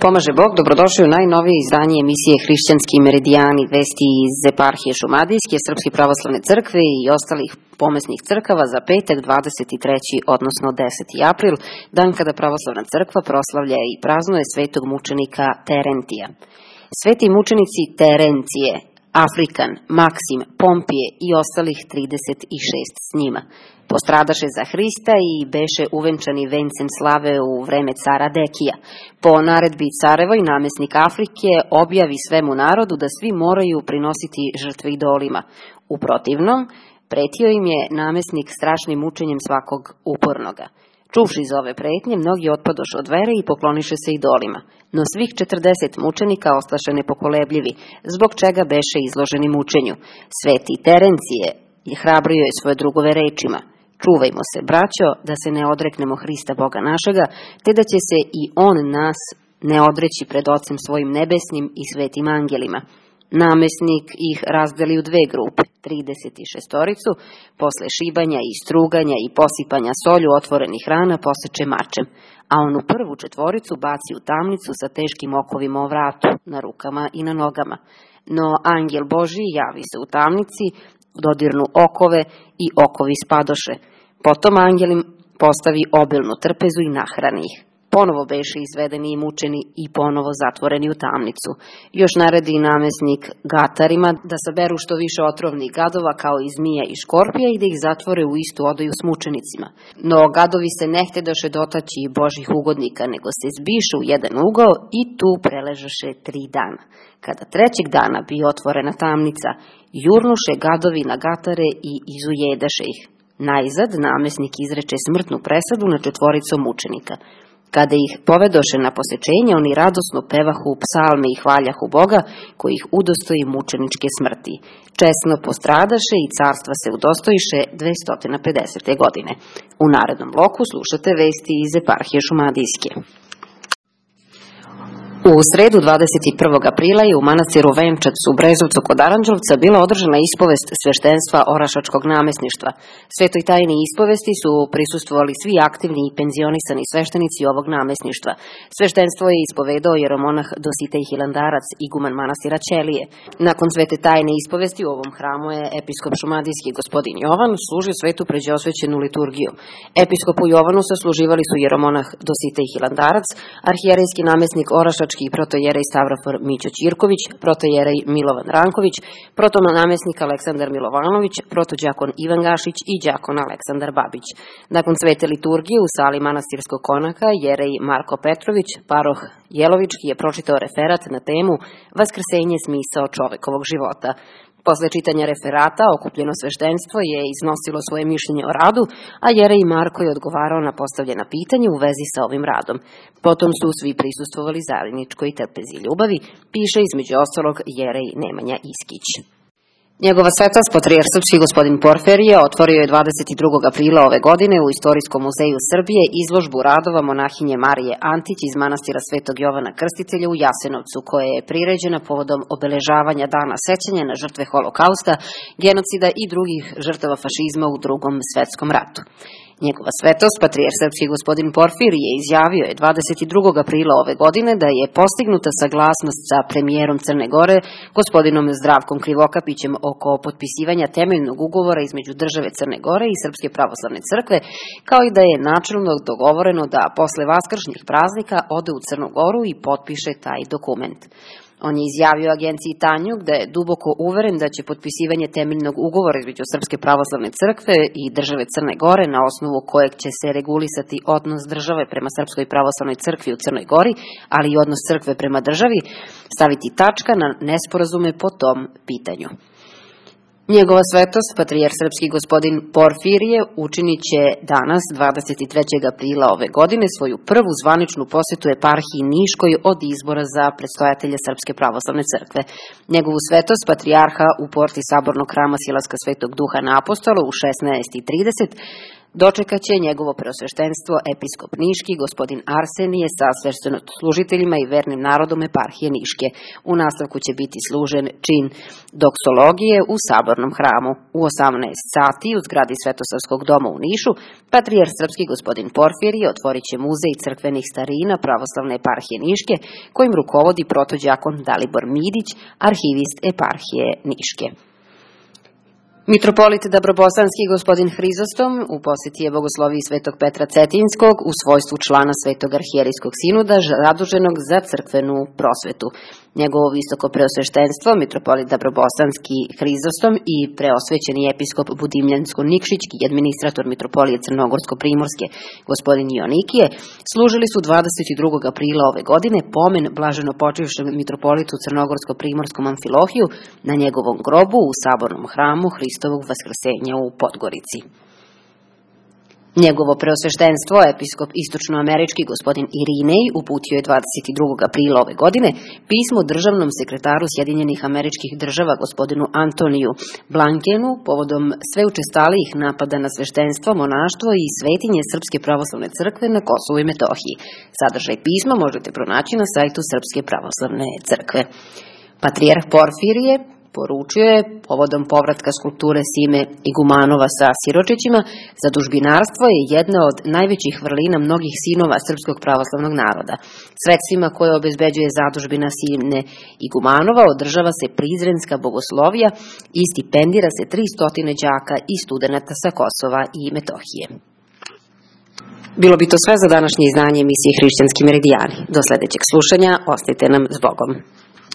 Pomaže Bog, dobrodošli u najnovije izdanje emisije Hrišćanski meridijani, vesti iz eparhije Šumadijske, Srpske pravoslavne crkve i ostalih pomesnih crkava za petak 23. odnosno 10. april, dan kada pravoslavna crkva proslavlja i praznuje svetog mučenika Terentija. Sveti mučenici Terencije, Afrikan, Maksim, Pompije i ostalih 36 s njima postradaše za Hrista i beše uvenčani vencem slave u vreme cara Dekija. Po naredbi carevoj namesnik Afrike objavi svemu narodu da svi moraju prinositi žrtve idolima. U protivnom, pretio im je namesnik strašnim mučenjem svakog upornoga. Čuvši za ove pretnje, mnogi otpadoše od vere i pokloniše se idolima. No svih 40 mučenika ostaše nepokolebljivi, zbog čega beše izloženi mučenju. Sveti Terencije je hrabrio je svoje drugove rečima: čuvajmo se, braćo, da se ne odreknemo Hrista Boga našega, te da će se i On nas ne odreći pred Ocem svojim nebesnim i svetim angelima. Namesnik ih razdeli u dve grupe, 36-oricu, posle šibanja i struganja i posipanja solju otvorenih rana poseče mačem, a onu prvu četvoricu baci u tamnicu sa teškim okovima o vratu, na rukama i na nogama. No angel Božji javi se u tamnici, dodirnu okove i okovi spadoše. Potom angel im postavi obilnu trpezu i nahrani ih. Ponovo beše izvedeni i mučeni i ponovo zatvoreni u tamnicu. Još naredi namesnik gatarima da saberu što više otrovnih gadova kao i zmija i škorpija i da ih zatvore u istu odaju s mučenicima. No gadovi se ne htedoše dotaći Božih ugodnika, nego se zbiše u jedan ugao i tu preležaše 3 dana. Kada trećeg dana bi otvorena tamnica, jurnuše gadovi na gatare i izujedaše ih. Najzad namesnik izreče smrtnu presudu na 4 mučenika. Kada ih povedoše na posečenje, oni radosno pevahu psalme i hvaljahu Boga, koji ih udostoji mučeničke smrti. Česno postradaše i carstva se udostojiše 250. godine. U narednom bloku slušate vesti iz eparhije Šumadijske. U sredu 21. aprila je u manastiru Venčac u Brezovcu kod Aranđelovca bila održana ispovest sveštenstva Orašačkog namesništva. Svetoj tajni ispovesti su prisustvovali svi aktivni i penzionisani sveštenici ovog namesništva. Sveštenstvo je ispovedao jeromonah Dositej Hilandarac, iguman manastira Ćelije. Nakon svete tajne ispovesti u ovom hramu je episkop šumadijski gospodin Jovan služio svetu pređeosvećenu liturgiju. Episkopu Jovanu sasluživali su jeromonah Dositej Hilandarac, arhijerejski namesnik Orašački i protojerej Stavrofor Mićo Ćirković, protojerej Milovan Ranković, protonamesnik Aleksandar Milovanović, protođakon Ivan Gašić i đakon Aleksandar Babić. Nakon svete liturgije u sali manastirskog konaka jerej Marko Petrović, paroh Jelovički, je pročitao referat na temu Vaskrsenje, smisao čovekovog života. Posle čitanja referata, okupljeno sveštenstvo je iznosilo svoje mišljenje o radu, a jerej Marko je odgovarao na postavljena pitanja u vezi sa ovim radom. Potom su svi prisustvovali zajedničkoj trpezi i ljubavi, piše između ostalog jerej Nemanja Iskić. Njegova svetost patrijarh srpski gospodin Porfirije otvorio je 22. aprila ove godine u Istorijskom muzeju Srbije izložbu radova monahinje Marije Antić iz manastira Svetog Jovana Krstitelja u Jasenovcu, koja je priređena povodom obeležavanja dana sećanja na žrtve Holokausta, genocida i drugih žrtava fašizma u Drugom svetskom ratu. Njegova svetost, patrijarh srpski gospodin Porfirije, izjavio je 22. aprila ove godine da je postignuta saglasnost sa premijerom Crne Gore, gospodinom Zdravkom Krivokapićem, oko potpisivanja temeljnog ugovora između države Crne Gore i Srpske pravoslavne crkve, kao i da je načelno dogovoreno da posle vaskršnjih praznika ode u Crnu Goru i potpiše taj dokument. On je izjavio agenciji Tanjug da je duboko uveren da će potpisivanje temeljnog ugovora između Srpske pravoslavne crkve i države Crne Gore, na osnovu kojeg će se regulisati odnos države prema Srpskoj pravoslavnoj crkvi u Crnoj Gori, ali i odnos crkve prema državi, staviti tačka na nesporazume po tom pitanju. Njegova svetost, patrijarh srpski gospodin Porfirije, učinit će danas, 23. aprila ove godine, svoju prvu zvaničnu posetu eparhiji Niškoj od izbora za predstojatelja Srpske pravoslavne crkve. Njegovu svetost, patrijarha u porti sabornog hrama Silaska Svetog Duha na Apostolu u 16:30, dočekaće njegovo preosveštenstvo episkop Niški, gospodin Arsenije, sa sveštenoslужiteljima i vernim narodom eparhije Niške. U nastavku će biti služen čin doksologije u sabornom hramu. U 18 sati u zgradi Svetosavskog doma u Nišu patrijarh srpski gospodin Porfirije otvorit će muzej crkvenih starina pravoslavne eparhije Niške, kojim rukovodi protođakon Dalibor Midić, arhivist eparhije Niške. Mitropolit Dabrobosanski gospodin Hrizostom u posjeti je bogosloviji Svetog Petra Cetinskog u svojstvu člana Svetog arhijerijskog sinuda zaduženog za crkvenu prosvetu. Njegovo visoko preosveštenstvo, mitropolit Dabrobosanski Hrizostom i preosvećeni episkop Budimljansko-Nikšićki i administrator mitropolije Crnogorsko-Primorske gospodin Ionikije služili su 22. aprila ove godine pomen blaženo počivšem mitropolitu Crnogorsko-Primorskom Amfilohiju na njegovom grobu u sabornom hramu Hristovog vaskrsenja u Podgorici. Njegovo preosveštenstvo, episkop istočnoamerički gospodin Irinej, uputio je 22. aprila ove godine pismo državnom sekretaru Sjedinjenih Američkih Država gospodinu Antoniju Blankenu povodom sve učestalijih napada na sveštenstvo, monaštvo i svetinje Srpske pravoslavne crkve na Kosovu i Metohiji. Sadržaj pisma možete pronaći na sajtu Srpske pravoslavne crkve. Patrijarh Porfirije poručio je povodom povratka skulpture Sime Igumanova sa siročićima: zadužbinarstvo je jedna od najvećih vrlina mnogih sinova srpskog pravoslavnog naroda. Sredstvima koje obezbeđuje zadužbina Sime Igumanova održava se prizrenska bogoslovija i stipendira se 300 đaka i studenata sa Kosova i Metohije. Bilo bi to sve za današnje izdanje emisije Hrišćanski meridijani. Do sledećeg slušanja, ostajte nam s Bogom.